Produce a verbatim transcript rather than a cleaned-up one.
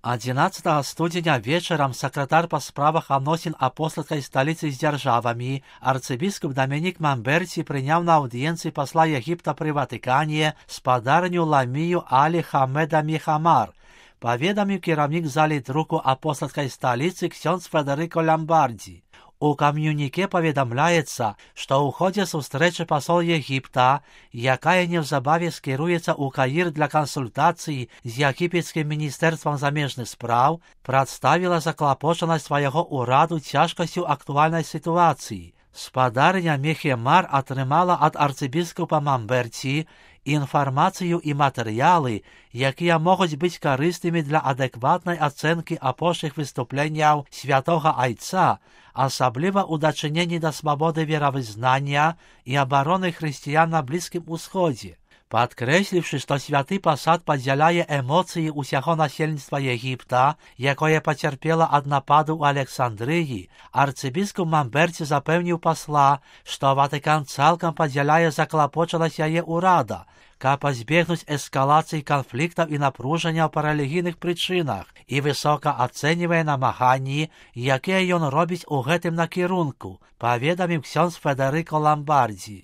одиннадцатого студеня вечером секретарь по справах относин апостольской столицы с державами арцебископ Доминик Мамберти принял на аудиенции посла Египта при Ватикане спадарню Ламию Али Хамеда Михамар. Поведомил керовник зали руку апостольской столицы ксенц Федерико Ламбарди. У ком'юніке повідомляється, що у ході зустрічі посол Єгипта, яка незабаром скерується у Каїр для консультацій з Єгипетським міністерством заміжних справ, представила заклопоченість свого ураду тяжкостю актуальної ситуації. Спадарня Мехемар отримала від арцибіскупа Мамберті інформацію і матеріали, які можуть бути корисними для адекватної оцінки апостольських виступленнів Святого Отця, особливо у дочиненні до свободи віровизнання і оборони християн на Близькому Усході. Підкресливши, що святий посад поділяє емоції усього насельництва Єгипта, яке потерпіло від нападу у Олександрії, арцибіскуп Мамберті запевнив посла, що Ватикан цілком поділяє заклопоченість її урада, ка позбігнуть ескалації конфліктів і напруження по релігійних причинах, і високо оцінює намагання, які він робить у гэтым накірунку, повідомив ксьонз Федерико Ламбарді.